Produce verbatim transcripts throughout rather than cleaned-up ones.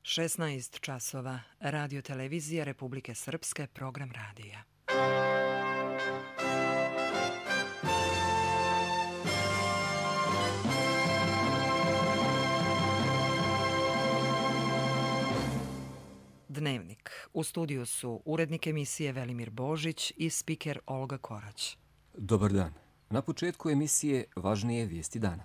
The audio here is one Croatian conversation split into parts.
šesnaest časova. Radio televizija Republike Srpske, program radija. Dnevnik. U studiju su urednik emisije Velimir Božić i spiker Olga Korać. Dobar dan. Na početku emisije važnije vijesti dana.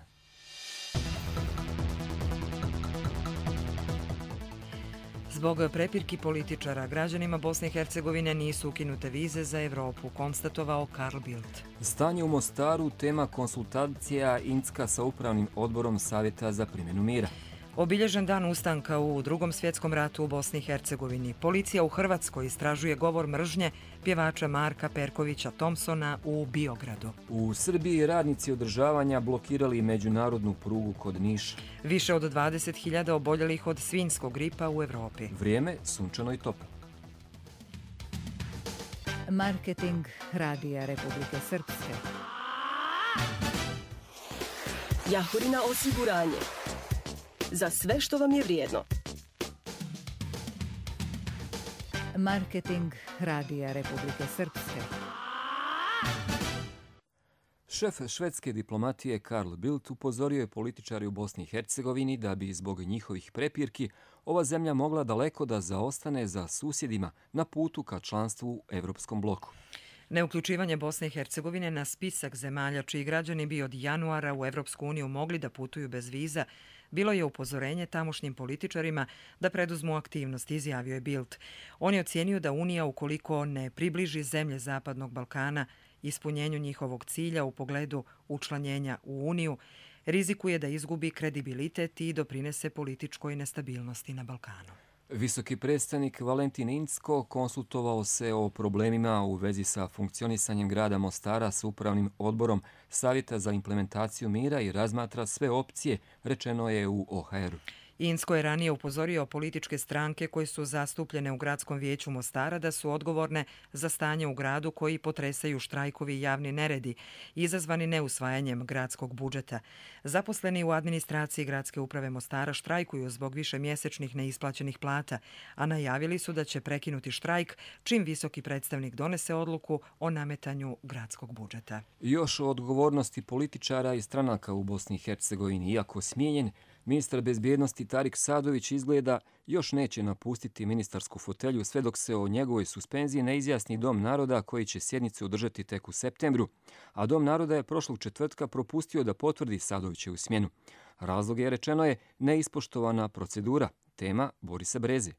Zbog prepirki političara, građanima Bosne i Hercegovine nisu ukinute vize za Evropu, konstatovao Carl Bildt. Stanje u Mostaru, tema konsultacija Incka sa upravnim odborom Savjeta za primjenu mira. Obilježen dan ustanka u Drugom svjetskom ratu u Bosni i Hercegovini. Policija u Hrvatskoj istražuje govor mržnje pjevača Marka Perkovića Thompsona u Biogradu. U Srbiji radnici održavanja blokirali međunarodnu prugu kod Niša. Više od dvadeset hiljada oboljelih od svinjskog gripa u Evropi. Vrijeme sunčano i toplo. Marketing Radija Republike Srpske. Jahorina osiguranje. Za sve što vam je vrijedno. Marketing Radija Republike Srpske. Šef švedske diplomatije Carl Bildt upozorio je političari u Bosni i Hercegovini da bi zbog njihovih prepirki ova zemlja mogla daleko da zaostane za susjedima na putu ka članstvu u Evropskom bloku. Neuključivanje Bosne i Hercegovine na spisak zemalja čiji građani bi od januara u Evropsku uniju mogli da putuju bez viza bilo je upozorenje tamošnjim političarima da preduzmu aktivnost, izjavio je Bildt. On je ocijenio da Unija, ukoliko ne približi zemlje Zapadnog Balkana ispunjenju njihovog cilja u pogledu učlanjenja u Uniju, rizikuje da izgubi kredibilitet i doprinese političkoj nestabilnosti na Balkanu. Visoki predstavnik Valentin Incko konsultovao se o problemima u vezi sa funkcionisanjem grada Mostara s upravnim odborom Savjeta za implementaciju mira i razmatra sve opcije, rečeno je u O H R-u. Incko je ranije upozorio političke stranke koje su zastupljene u gradskom vijeću Mostara da su odgovorne za stanje u gradu koji potresaju štrajkovi i javni neredi, izazvani neusvajanjem gradskog budžeta. Zaposleni u administraciji gradske uprave Mostara štrajkuju zbog višemjesečnih neisplaćenih plata, a najavili su da će prekinuti štrajk čim visoki predstavnik donese odluku o nametanju gradskog budžeta. Još o odgovornosti političara i stranaka u Bosni i Hercegovini, iako smijenjen, ministar bezbjednosti Tarik Sadović izgleda još neće napustiti ministarsku fotelju sve dok se o njegovoj suspenziji ne izjasni Dom naroda koji će sjednicu održati tek u septembru, a Dom naroda je prošlog četvrtka propustio da potvrdi Sadovićevu smjenu. Razlog je, rečeno je, neispoštovana procedura, tema Borisa Breze.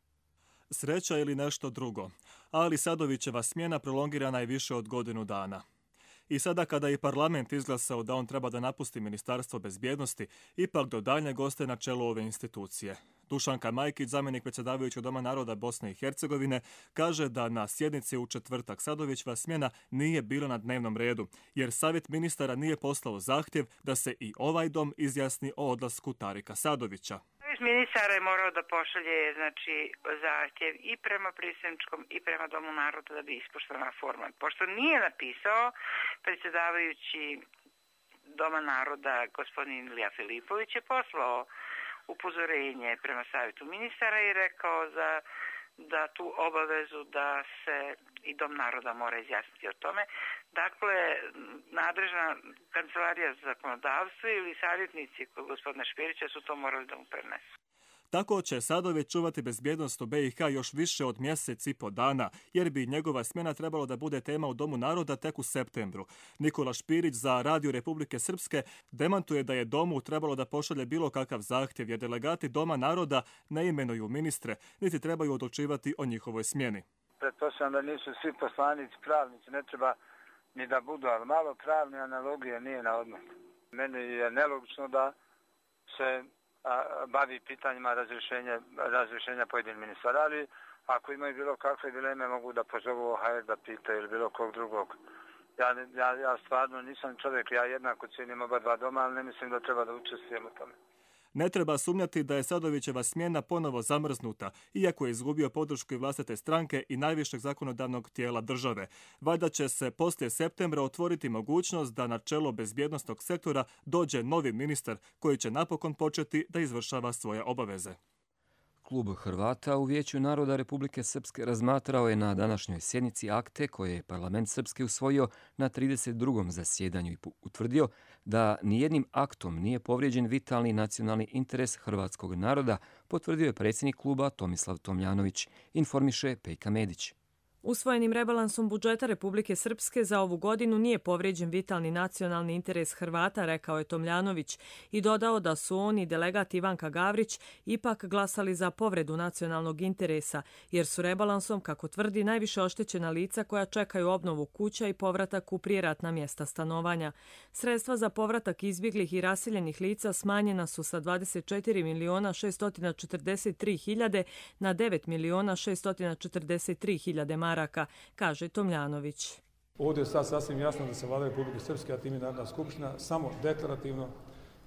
Sreća ili nešto drugo, ali Sadovićeva smjena prolongirana je više od godinu dana. I sada kada je parlament izglasao da on treba da napusti Ministarstvo bezbjednosti, ipak do daljnjeg ostaje na čelu ove institucije. Dušanka Majkić, zamjenik predsjedavajućeg Doma naroda Bosne i Hercegovine, kaže da na sjednici u četvrtak Sadovićeva smjena nije bila na dnevnom redu, jer Savjet ministara nije poslao zahtjev da se i ovaj dom izjasni o odlasku Tarika Sadovića. Ministar je morao da pošalje znači, zahtjev i prema predsjedničkom i prema Domu naroda da bi ispoštovana forma. Pošto nije napisao, predsjedavajući Doma naroda gospodin Ilija Filipović je poslao upozorenje prema savjetu ministara i rekao za, da tu obavezu da se i Dom naroda mora izjasniti o tome. Dakle, nadležna kancelarija za zakonodavstvo ili savjetnici kod gospodina Špirića su to morali da mu prenesu. Tako će Sadović čuvati bezbjednost u B i H još više od mjesec i po dana, jer bi njegova smjena trebalo da bude tema u Domu naroda tek u septembru. Nikola Špirić za Radio Republike Srpske demantuje da je Domu trebalo da pošalje bilo kakav zahtjev, jer delegati Doma naroda ne imenuju ministre, niti trebaju odlučivati o njihovoj smjeni. Pretpostavljam da nisu svi poslanici pravnici, ne treba ni da budu, ali malo pravne analogije nije na odmet. Meni je nelogično da se a, bavi pitanjima razrješenja, razrješenja pojedinih ministara, ali ako imaju bilo kakve dileme mogu da pozovu O H R da pitaju ili bilo kog drugog. Ja, ja, ja stvarno nisam čovjek, ja jednako cijenim oba dva doma, ali ne mislim da treba da učestvujem u tome. Ne treba sumnjati da je Sadovićeva smjena ponovo zamrznuta, iako je izgubio podršku i vlastite stranke i najvišeg zakonodavnog tijela države. Valjda će se poslije septembra otvoriti mogućnost da na čelo bezbjednosnog sektora dođe novi ministar koji će napokon početi da izvršava svoje obaveze. klub Hrvata u Vijeću naroda Republike Srpske razmatrao je na današnjoj sjednici akte koje je parlament Srpske usvojio na trideset drugom zasjedanju i utvrdio da nijednim aktom nije povrijeđen vitalni nacionalni interes hrvatskog naroda, potvrdio je predsjednik kluba Tomislav Tomljanović, informiše Pejka Medić. Usvojenim rebalansom budžeta Republike Srpske za ovu godinu nije povrijeđen vitalni nacionalni interes Hrvata, rekao je Tomljanović i dodao da su on i delegat Ivanka Gavrić ipak glasali za povredu nacionalnog interesa, jer su rebalansom, kako tvrdi, najviše oštećena lica koja čekaju obnovu kuća i povratak u prijeratna mjesta stanovanja. Sredstva za povratak izbjeglih i raseljenih lica smanjena su sa dvadeset četiri miliona šessto četrdeset tri hiljade na devet miliona šessto četrdeset tri hiljade maraka, kaže Tomljanović. Ovdje je sad sasvim jasno da se Vlada Republike Srpske, a time Narodna skupština, samo deklarativno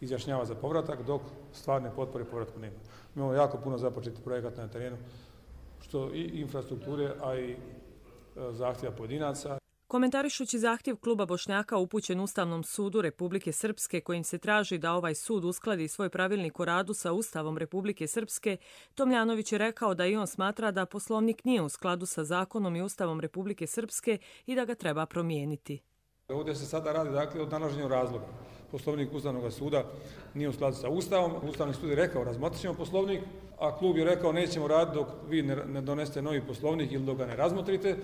izjašnjava za povratak, dok stvarne potpore povratku nema. Imamo jako puno započeti projekata na terenu, što i infrastrukture, a i zahtjeva pojedinaca. Komentarišući zahtjev kluba Bošnjaka upućen Ustavnom sudu Republike Srpske, kojim se traži da ovaj sud uskladi svoj pravilnik o radu sa Ustavom Republike Srpske, Tomljanović je rekao da i on smatra da Poslovnik nije u skladu sa zakonom i Ustavom Republike Srpske i da ga treba promijeniti. Ovdje se sada radi dakle o nalaženju razloga. Poslovnik Ustavnog suda nije u skladu sa Ustavom. Ustavni sud je rekao razmotrit ćemo Poslovnik, a klub je rekao nećemo raditi dok vi ne donesete novi Poslovnik ili dok ga ne razmotrite,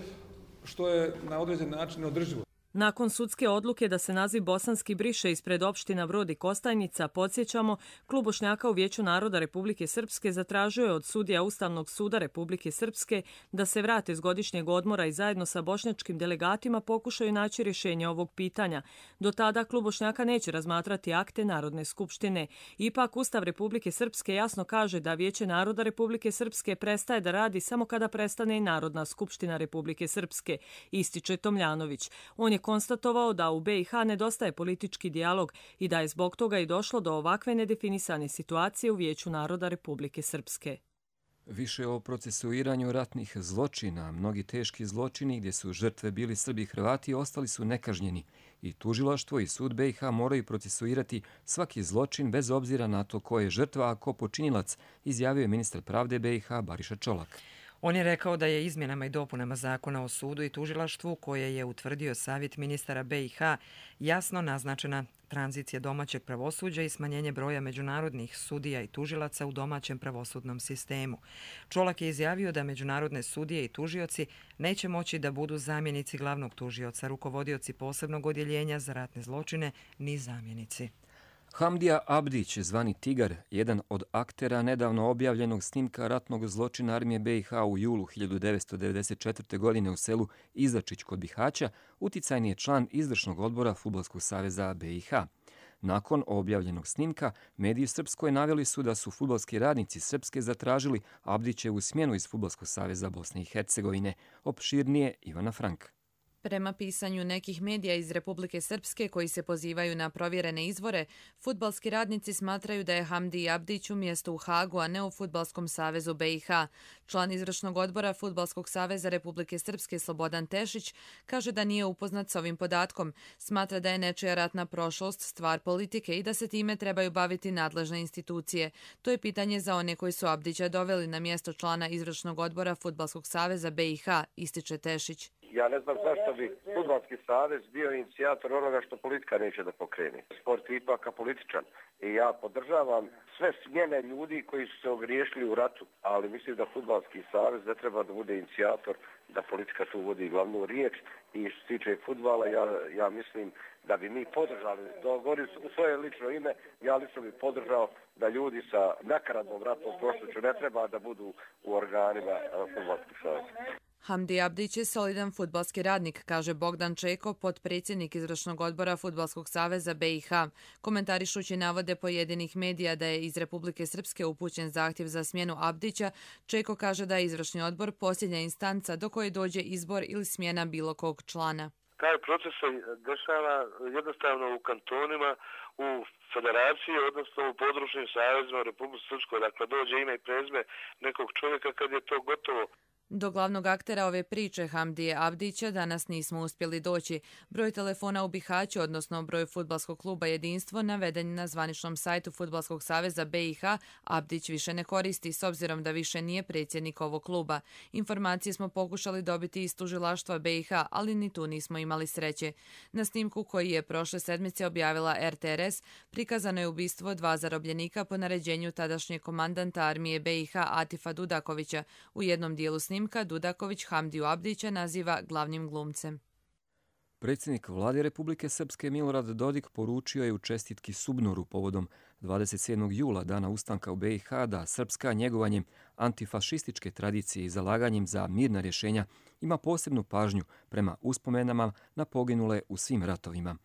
što je na određen način neodrživo. Nakon sudske odluke da se naziv bosanski briše ispred opština Brod i Kostajnica, podsjećamo, klub Bošnjaka u Vijeću naroda Republike Srpske zatražio je od sudija Ustavnog suda Republike Srpske da se vrate s godišnjeg odmora i zajedno sa bošnjačkim delegatima pokušaju naći rješenje ovog pitanja. Do tada klub Bošnjaka neće razmatrati akte Narodne skupštine. Ipak Ustav Republike Srpske jasno kaže da Vijeće naroda Republike Srpske prestaje da radi samo kada prestane i Narodna skupština Republike Srpske, ističe Tomljanović. On je konstatovao da u B i H nedostaje politički dijalog i da je zbog toga i došlo do ovakve nedefinisane situacije u Vijeću naroda Republike Srpske. Više o procesuiranju ratnih zločina, mnogi teški zločini gdje su žrtve bili Srbi i Hrvati ostali su nekažnjeni i tužilaštvo i sud B i H moraju procesuirati svaki zločin bez obzira na to ko je žrtva, a ko počinilac, izjavio je ministar pravde B i H Bariša Čolak. On je rekao da je izmjenama i dopunama zakona o sudu i tužilaštvu, koje je utvrdio savjet ministara B i H, jasno naznačena tranzicija domaćeg pravosuđa i smanjenje broja međunarodnih sudija i tužilaca u domaćem pravosudnom sistemu. Čolak je izjavio da međunarodne sudije i tužioci neće moći da budu zamjenici glavnog tužioca, rukovodioci posebnog odjeljenja za ratne zločine, ni zamjenici. Hamdija Abdić, zvani Tigar, jedan od aktera nedavno objavljenog snimka ratnog zločina armije B i H u julu hiljadu devetsto devedeset četvrte. godine u selu Izačić kod Bihaća, uticajni je član izvršnog odbora Fudbalskog saveza B i H. Nakon objavljenog snimka, mediji Srpskoj naveli su da su fudbalski radnici Srpske zatražili Abdićevu smjenu iz Fudbalskog saveza Bosne i Hercegovine. Opširnije Ivana Frank. Prema pisanju nekih medija iz Republike Srpske koji se pozivaju na provjerene izvore, fudbalski radnici smatraju da je Hamdi Abdić umjesto u Hagu, a ne u Fudbalskom savezu B i H. Član izvršnog odbora Fudbalskog saveza Republike Srpske Slobodan Tešić kaže da nije upoznat s ovim podatkom. Smatra da je nečija ratna prošlost stvar politike i da se time trebaju baviti nadležne institucije. To je pitanje za one koji su Abdića doveli na mjesto člana izvršnog odbora Fudbalskog saveza B i H, ističe Tešić. Ja ne znam zašto bi Fudbalski savez bio inicijator onoga što politika neće da pokrene. Sport je ipak apolitičan i ja podržavam sve smjene ljudi koji su se ogriješili u ratu, ali mislim da Fudbalski savez ne treba da bude inicijator, da politika tu vodi glavnu riječ i što se tiče fudbala, ja, ja mislim da bi mi podržali, govorim u svoje lično ime, ja lično bi podržao da ljudi sa nakaradnom ratnom prošlošću ne treba da budu u organima Fudbalskog saveza. Hamdi Abdić je solidan fudbalski radnik, kaže Bogdan Čeko, potpredsjednik izvršnog odbora Fudbalskog saveza B i H. Komentarišući navode pojedinih medija da je iz Republike Srpske upućen zahtjev za smjenu Abdića, Čeko kaže da je izvršni odbor posljednja instanca do koje dođe izbor ili smjena bilo kog člana. Taj proces se dešava jednostavno u kantonima, u federaciji, odnosno u područnim savezima u Republike Srpskoj. Dakle, dođe ime i prezime nekog čovjeka kad je to gotovo. Do glavnog aktera ove priče Hamdije Abdića danas nismo uspjeli doći. Broj telefona u Bihaću, odnosno broj fudbalskog kluba Jedinstvo, naveden na zvaničnom sajtu Fudbalskog saveza B i H, Abdić više ne koristi s obzirom da više nije predsjednik ovog kluba. Informacije smo pokušali dobiti iz tužilaštva B i H, ali ni tu nismo imali sreće. Na snimku koji je prošle sedmice objavila R T R S prikazano je ubistvo dva zarobljenika po naređenju tadašnjeg komandanta armije B i H Atifa Dudakovića. U jednom dijelu snimka Dudaković Hamdiju Abdića naziva glavnim glumcem. Predsjednik vlade Republike Srpske Milorad Dodik poručio je u čestitki Subnoru povodom dvadeset sedmog jula, dana ustanka u B i H, da Srpska njegovanjem antifašističke tradicije i zalaganjem za mirna rješenja ima posebnu pažnju prema uspomenama na poginule u svim ratovima.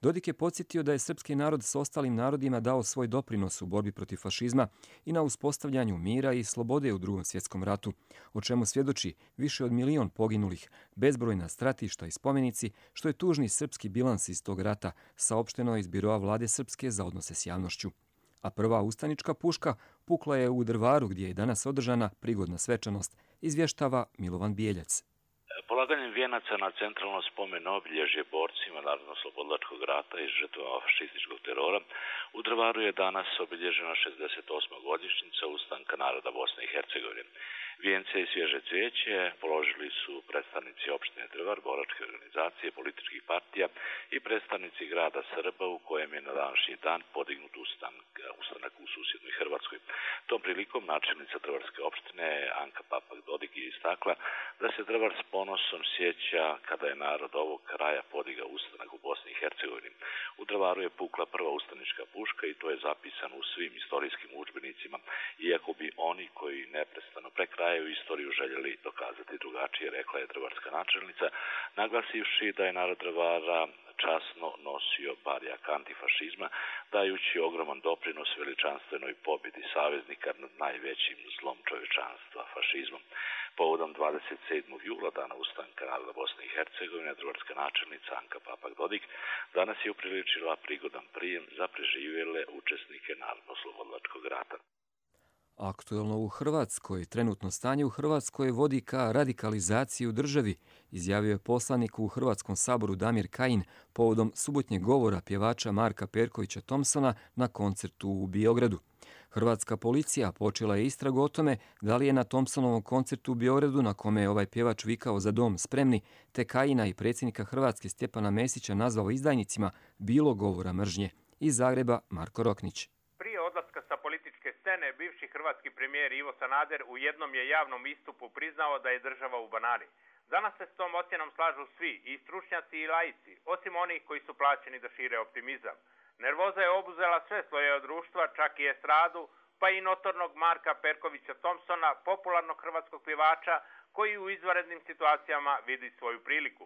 Dodik je podsjetio da je srpski narod s ostalim narodima dao svoj doprinos u borbi protiv fašizma i na uspostavljanju mira i slobode u Drugom svjetskom ratu, o čemu svjedoči više od milion poginulih, bezbrojna stratišta i spomenici, što je tužni srpski bilans iz tog rata, saopšteno iz biroa vlade Srpske za odnose s javnošću. A prva ustanička puška pukla je u Drvaru, gdje je danas održana prigodna svečanost, izvještava Milovan Bijeljac. Polaganjem vijenaca na centralno spomen obilježje borcima Narodno-slobodilačkog rata i žrtvama fašističkog terora, u Drvaru je danas obilježena šezdeset osma godišnjica ustanka naroda Bosne i Hercegovine. Vijence i svježe cvijeće položili su predstavnici opštine Drvar, boračke organizacije, političkih partija i predstavnici grada Srba, u kojem je na današnji dan podignut ustanak, ustanak u susjednoj Hrvatskoj. Tom prilikom načelnica Drvarske opštine Anka Papak-Dodik je istakla da se Drvar s ponosom sjeća kada je narod ovog kraja podigao ustanak u Bosni i Hercegovini. U Drvaru je pukla prva ustanička puška i to je zapisano u svim istorijskim udžbenicima, iako bi oni koji neprestano prekrajaju istoriju željeli dokazati drugačije, rekla je drvarska načelnica, naglasivši da je narod Drvara časno nosio barjak antifašizma, dajući ogroman doprinos veličanstvenoj pobjedi saveznika nad najvećim zlom čovječanstva, fašizmom. Povodom dvadeset sedmog jula, dana ustanka naroda Bosne i Hercegovine, drvarska načelnica Anka Papak-Dodik danas je upriličila prigodan prijem za preživjele učesnike Narodno-slobodilačkog rata. Aktuelno u Hrvatskoj, trenutno stanje u Hrvatskoj vodi ka radikalizaciji u državi, izjavio je poslanik u Hrvatskom saboru Damir Kajin povodom subotnjeg govora pjevača Marka Perkovića Thompsona na koncertu u Beogradu. Hrvatska policija počela je istragu o tome da li je na Thompsonovom koncertu u Beogradu, na kome je ovaj pjevač vikao za dom spremni, te Kajina i predsjednika Hrvatske Stjepana Mesića nazvao izdajnicima, bilo govora mržnje. Iz Zagreba Marko Roknić. Scene, bivši hrvatski premijer Ivo Sanader u jednom je javnom istupu priznao da je država u banani. Danas se s tom ocjenom slažu svi, i stručnjaci i laici, osim onih koji su plaćeni da šire optimizam. Nervoza je obuzela sve slojeve društva, čak i estradu, pa i notornog Marka Perkovića Thompsona, popularnog hrvatskog pjevača, koji u izvanrednim situacijama vidi svoju priliku.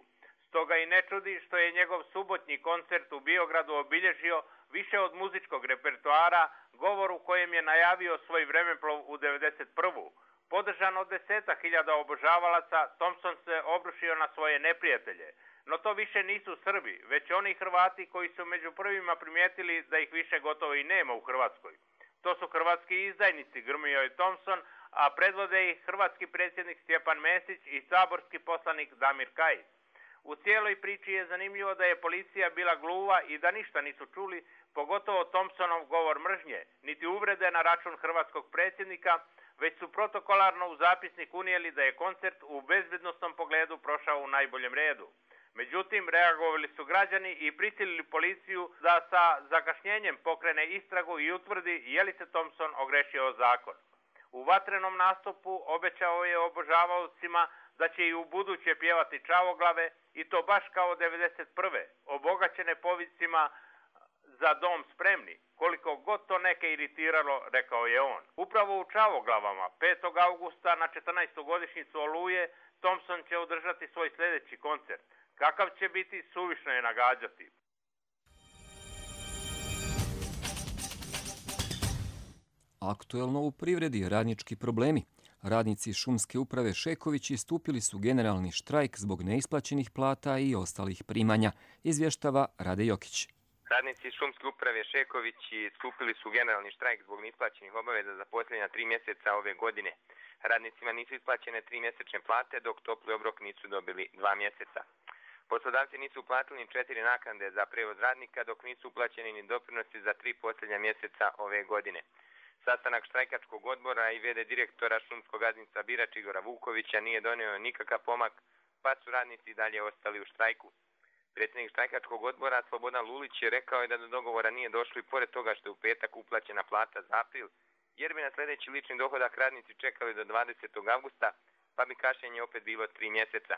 Stoga i ne čudi što je njegov subotnji koncert u Beogradu obilježio više od muzičkog repertoara, govor u kojem je najavio svoj vremeplov u devedeset prvu. Podržan od deseta hiljada obožavalaca, Thompson se obrušio na svoje neprijatelje. No to više nisu Srbi, već oni Hrvati koji su među prvima primijetili da ih više gotovo i nema u Hrvatskoj. To su hrvatski izdajnici, grmio je Thompson, a predvode ih hrvatski predsjednik Stjepan Mesić i saborski poslanik Damir Kajin. U cijeloj priči je zanimljivo da je policija bila gluva i da ništa nisu čuli, pogotovo Thompsonov govor mržnje, niti uvrede na račun hrvatskog predsjednika, već su protokolarno u zapisnik unijeli da je koncert u bezbednostnom pogledu prošao u najboljem redu. Međutim, reagovali su građani i prisilili policiju da sa zakašnjenjem pokrene istragu i utvrdi je li se Thompson ogrešio o zakon. U vatrenom nastupu obećao je obožavaocima da će i u buduće pjevati čavoglave, i to baš kao devedeset prve, obogaćene povicima za dom spremni, koliko god to neke iritiralo, rekao je on. Upravo u čavoglavama, petog augusta na četrnaestu godišnjicu Oluje, Thompson će održati svoj sljedeći koncert. Kakav će biti, suvišno je nagađati. Aktuelno u privredi, radnički problemi. Radnici šumske uprave Šeković istupili su generalni štrajk zbog neisplaćenih plata i ostalih primanja, izvještava Rade Jokić. Radnici šumske uprave Šekovići stupili su generalni štrajk zbog neisplaćenih obaveza za posljednja tri mjeseca ove godine. Radnicima nisu isplaćene tri mjesečne plate, dok topli obrok nisu dobili dva mjeseca. Poslodavci nisu uplatili ni četiri naknade za prevoz radnika, dok nisu uplaćeni ni doprinosi za tri posljednja mjeseca ove godine. Sastanak štrajkačkog odbora i vede direktora šumskog gazdinstva Birač Igora Vukovića nije donio nikakav pomak, pa su radnici dalje ostali u štrajku. Predsjednik štrajkačkog odbora Slobodan Lulić je rekao je da do dogovora nije došlo i pored toga što je u petak uplaćena plata za april, jer bi na sljedeći lični dohodak radnici čekali do dvadesetog avgusta, pa bi kašnjenje opet bilo tri mjeseca.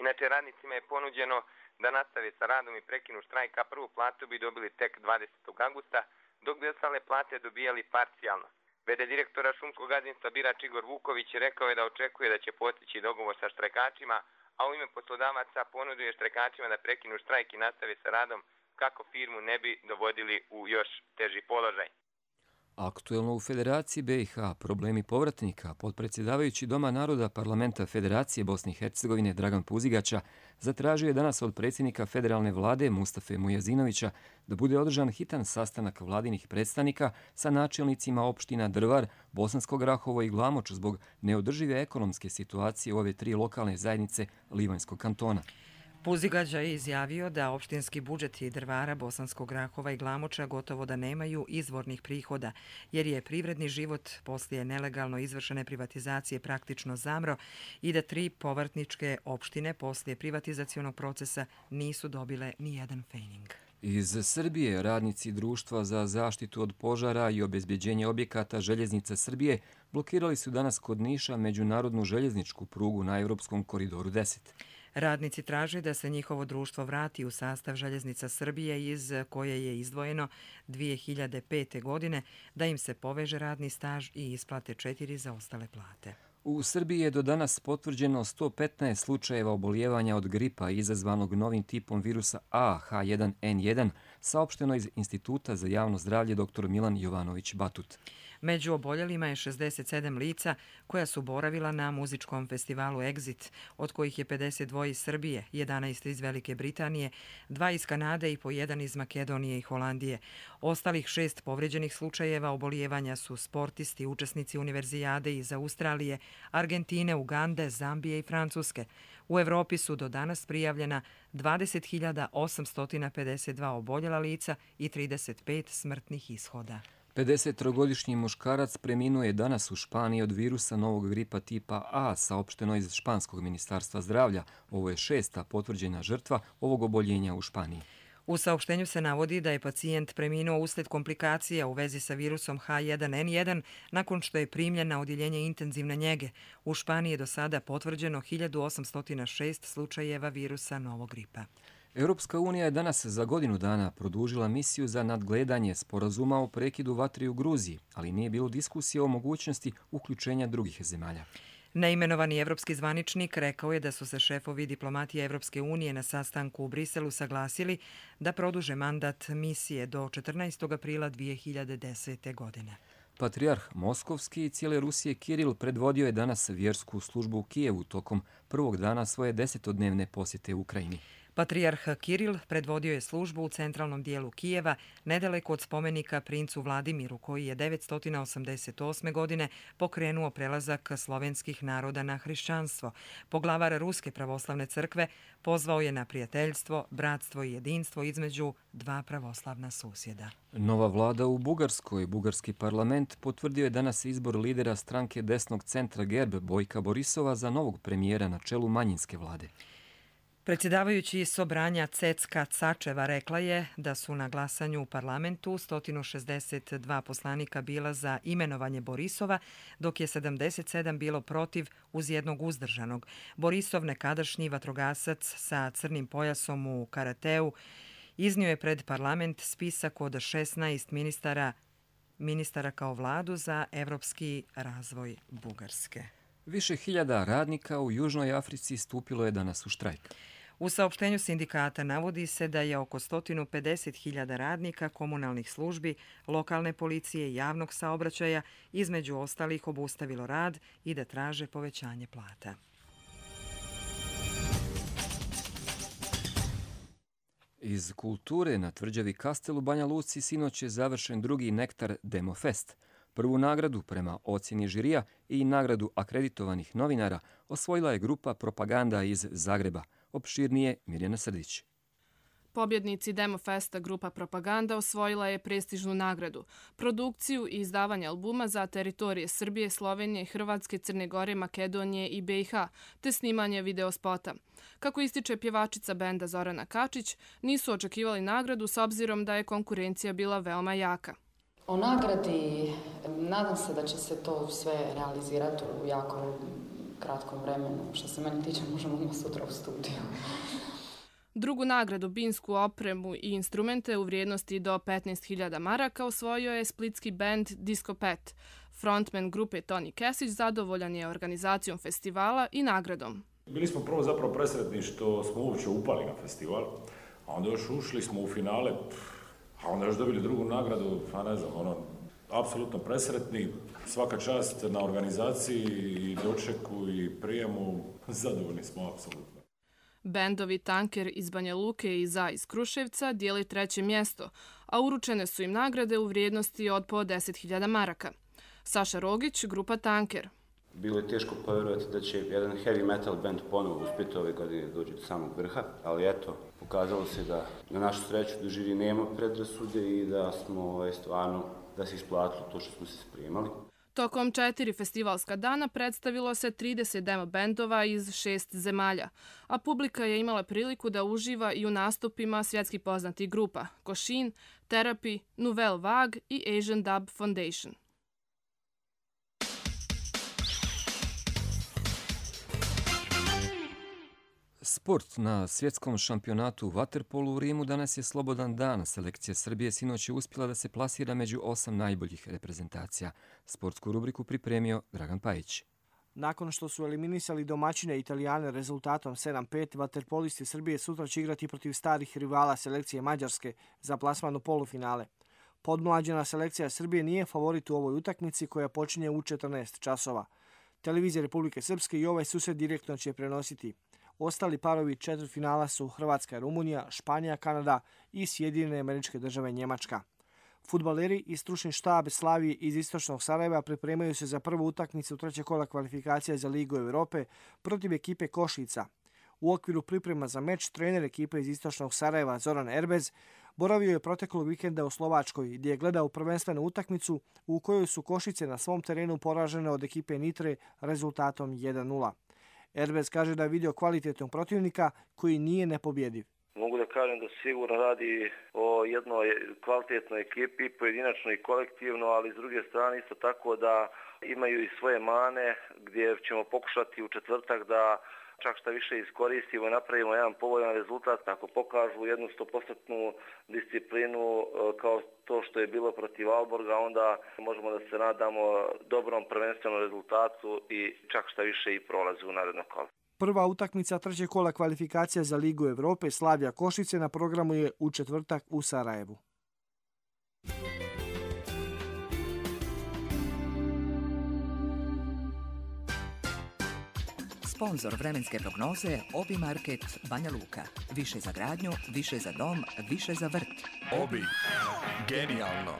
Inače, radnicima je ponuđeno da nastave sa radom i prekinu štrajk, a prvu platu bi dobili tek dvadesetog avgusta, dok bi ostale plate dobijali parcijalno. Vede direktora šumskog gazdinstva Birač Igor Vuković rekao je da očekuje da će postići dogovor sa štrajkačima, a u ime poslodavaca ponudio je štrajkačima da prekinu štrajk i nastave sa radom kako firmu ne bi dovodili u još teži položaj. Aktuelno u Federaciji B i H problemi povratnika, potpredsjedavajući Doma naroda Parlamenta Federacije Bosne i Hercegovine Dragan Puzigača zatražio je danas od predsjednika federalne vlade Mustafe Mujazinovića da bude održan hitan sastanak vladinih predstavnika sa načelnicima opština Drvar, Bosansko Grahovo i Glamoč zbog neodržive ekonomske situacije u ove tri lokalne zajednice Livanjskog kantona. Puzigađa je izjavio da opštinski budžeti Drvara, Bosanskog Grahova i Glamoča gotovo da nemaju izvornih prihoda, jer je privredni život poslije nelegalno izvršene privatizacije praktično zamro i da tri povrtničke opštine poslije privatizacionog procesa nisu dobile ni jedan fejning. Iz Srbije radnici Društva za zaštitu od požara i obezbjeđenje objekata Željeznica Srbije blokirali su danas kod Niša međunarodnu željezničku prugu na Evropskom koridoru deset. Radnici traže da se njihovo društvo vrati u sastav Željeznica Srbije iz koje je izdvojeno dvije hiljade pete. godine, da im se poveže radni staž i isplate četiri zaostale plate. U Srbiji je do danas potvrđeno sto petnaest slučajeva obolijevanja od gripa izazvanog novim tipom virusa A H jedan N jedan, saopšteno iz Instituta za javno zdravlje dr Milan Jovanović Batut. Među oboljelima je šezdeset sedam lica koja su boravila na muzičkom festivalu Exit, od kojih je pedeset dva iz Srbije, jedanaest iz Velike Britanije, dva iz Kanade i po jedan iz Makedonije i Holandije. Ostalih šest povređenih slučajeva obolijevanja su sportisti, učesnici univerzijade iz Australije, Argentine, Ugande, Zambije i Francuske. U Evropi su do danas prijavljena dvadeset hiljada osamsto pedeset dva oboljela lica i trideset pet smrtnih ishoda. pedesettrogodišnji muškarac preminuo je danas u Španiji od virusa novog gripa tipa A, saopšteno iz Španskog ministarstva zdravlja. Ovo je šesta potvrđena žrtva ovog oboljenja u Španiji. U saopštenju se navodi da je pacijent preminuo usled komplikacija u vezi sa virusom H jedan N jedan nakon što je primljen na odjeljenje intenzivne njege. U Španiji je do sada potvrđeno hiljadu osamsto šest slučajeva virusa novog gripa. Europska unija je danas za godinu dana produžila misiju za nadgledanje sporazuma o prekidu vatre u Gruziji, ali nije bilo diskusije o mogućnosti uključenja drugih zemalja. Neimenovani evropski zvaničnik rekao je da su se šefovi diplomatije Evropske unije na sastanku u Briselu saglasili da produže mandat misije do četrnaestog aprila dvije hiljade desete. godine. Patrijarh Moskovski i cijele Rusije Kiril predvodio je danas vjersku službu u Kijevu tokom prvog dana svoje desetodnevne posjete u Ukrajini. Patrijarh Kiril predvodio je službu u centralnom dijelu Kijeva, nedaleko od spomenika princu Vladimiru, koji je devetsto osamdeset osme. godine pokrenuo prelazak slovenskih naroda na hrišćanstvo. Poglavar Ruske pravoslavne crkve pozvao je na prijateljstvo, bratstvo i jedinstvo između dva pravoslavna susjeda. Nova vlada u Bugarskoj, bugarski parlament, potvrdio je danas izbor lidera stranke desnog centra Gerb Bojka Borisova za novog premijera na čelu manjinske vlade. Predsjedavajući Sobranja Cecka Cačeva rekla je da su na glasanju u parlamentu sto šezdeset dva poslanika bila za imenovanje Borisova, dok je sedamdeset sedam bilo protiv uz jednog uzdržanog. Borisov, nekadašnji vatrogasac sa crnim pojasom u karateu, iznio je pred parlament spisak od šesnaest ministara, ministara kao vladu za evropski razvoj Bugarske. Više hiljada radnika u Južnoj Africi stupilo je danas u štrajk. U saopštenju sindikata navodi se da je oko sto pedeset hiljada radnika komunalnih službi, lokalne policije i javnog saobraćaja između ostalih obustavilo rad i da traže povećanje plata. Iz kulture na tvrđavi Kastel u Banja Luci sinoć je završen drugi Nektar Demofest. Prvu nagradu prema ocjeni žirija i nagradu akreditovanih novinara osvojila je grupa Propaganda iz Zagreba. Opširnije Mirjana Srdić. Pobjednici Demofesta grupa Propaganda osvojila je prestižnu nagradu, produkciju i izdavanje albuma za teritorije Srbije, Slovenije, Hrvatske, Crne Gore, Makedonije i B i H, te snimanje videospota. Kako ističe pjevačica benda Zorana Kačić, nisu očekivali nagradu s obzirom da je konkurencija bila veoma jaka. O nagradi, nadam se da će se to sve realizirati u jako kratkom vremenu. Što se meni tiče, možemo ima sutra u studiju. Drugu nagradu, binsku opremu i instrumente u vrijednosti do petnaest hiljada maraka osvojio je splitski bend Disco Pet. Frontman grupe Toni Kesić zadovoljan je organizacijom festivala i nagradom. Bili smo prvo zapravo presretni što smo uopće upali na festival, a onda još ušli smo u finale, a onda još dobili drugu nagradu, a ne znam, ono, apsolutno presretni. Svaka čast na organizaciji i dočeku i prijemu, zadovoljni smo apsolutno. Bendovi Tanker iz Banja Luke i Za iz Kruševca dijeli treće mjesto, a uručene su im nagrade u vrijednosti od po deset hiljada maraka. Saša Rogić, grupa Tanker. Bilo je teško povjerovati da će jedan heavy metal band ponovo uspjeti ove godine doći do samog vrha, ali eto, pokazalo se da na našu sreću da žiri nema predrasude i da smo stvarno, da se isplatilo to što smo se spremali. Tokom četiri festivalska dana predstavilo se trideset demo bendova iz šest zemalja, a publika je imala priliku da uživa i u nastupima svjetski poznatih grupa Košin, Therapy, Nouvelle Vague i Asian Dub Foundation. Sport. Na svjetskom šampionatu u vaterpolu u Rimu danas je slobodan dan. Selekcija Srbije sinoć je uspjela da se plasira među osam najboljih reprezentacija. Sportsku rubriku pripremio Dragan Pajić. Nakon što su eliminisali domaćine Italijane rezultatom sedam pet, vaterpolisti Srbije sutra će igrati protiv starih rivala selekcije Mađarske za plasman u polufinale. Podmlađena selekcija Srbije nije favorit u ovoj utakmici koja počinje u četrnaest časova. Televizija Republike Srpske i ovaj susret direktno će prenositi. Ostali parovi četvrtfinala su Hrvatska i Rumunija, Španija, Kanada i Sjedinjene Američke Države Njemačka. Fudbaleri i stručni štab Slavije iz istočnog Sarajeva pripremaju se za prvu utakmicu trećeg kola kvalifikacija za Ligu Evrope protiv ekipe Košica. U okviru priprema za meč trener ekipe iz istočnog Sarajeva Zoran Erbez boravio je proteklog vikenda u Slovačkoj gdje je gledao prvenstvenu utakmicu u kojoj su Košice na svom terenu poražene od ekipe Nitre rezultatom jedan nula. Erbez kaže da je vidio kvalitetnog protivnika koji nije nepobjediv. Mogu da kažem da sigurno radi o jednoj kvalitetnoj ekipi, pojedinačno i kolektivno, ali s druge strane isto tako da imaju i svoje mane gdje ćemo pokušati u četvrtak da čak šta više iskoristimo i napravimo jedan povoljan rezultat. Ako pokažu jednu stopostotnu disciplinu kao to što je bilo protiv Alborga, onda možemo da se nadamo dobrom prvenstvenom rezultatu i čak šta više i prolazu u naredno kolo. Prva utakmica trećeg kola kvalifikacija za Ligu Evrope Slavija Košice na programu je u četvrtak u Sarajevu. Sponzor vremenske prognoze Obi Market Banja Luka. Više za gradnju, više za dom, više za vrt. Obi. Genijalno.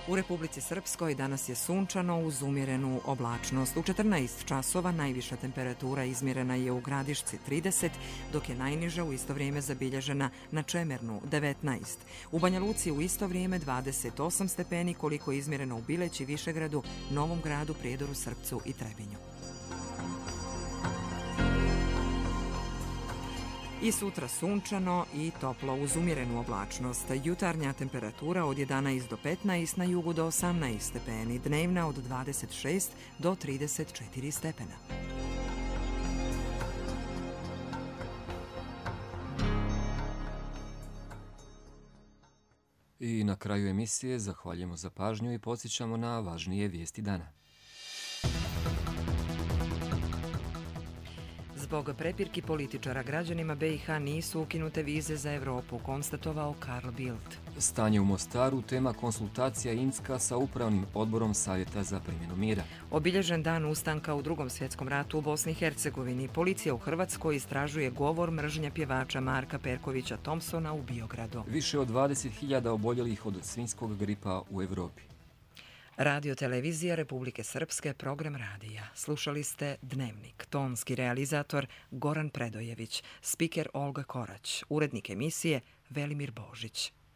U Republici Srpskoj danas je sunčano uz umjerenu oblačnost. U četrnaest časova najviša temperatura izmjerena je u Gradišci trideset, dok je najniža u isto vrijeme zabilježena na Čemernu devetnaest. U Banja Luci u isto vrijeme dvadeset osam stepeni, koliko je izmjereno u Bileći, Višegradu, Novom Gradu, Prijedoru, Srpcu i Trebinju. I sutra sunčano i toplo uz umjerenu oblačnost. Jutarnja temperatura od jedanaest do petnaest, na jugu do osamnaest stepeni, dnevna od dvadeset šest do trideset četiri stepena. I na kraju emisije zahvaljujemo za pažnju i podsjećamo na važnije vijesti dana. Zbog prepirki političara građanima B i H nisu ukinute vize za Evropu, konstatovao Karl Bildt. Stanje u Mostaru, tema konsultacija Inska sa upravnim odborom Savjeta za primjenu mira. Obilježen dan ustanka u Drugom svjetskom ratu u Bosni i Hercegovini. Policija u Hrvatskoj istražuje govor mržnje pjevača Marka Perkovića Thompsona u Biogradu. Više od dvadeset hiljada oboljelih od svinjskog gripa u Evropi. Radio televizija Republike Srpske, program radija. Slušali ste Dnevnik. Tonski realizator Goran Predojević, spiker Olga Korać, urednik emisije Velimir Božić.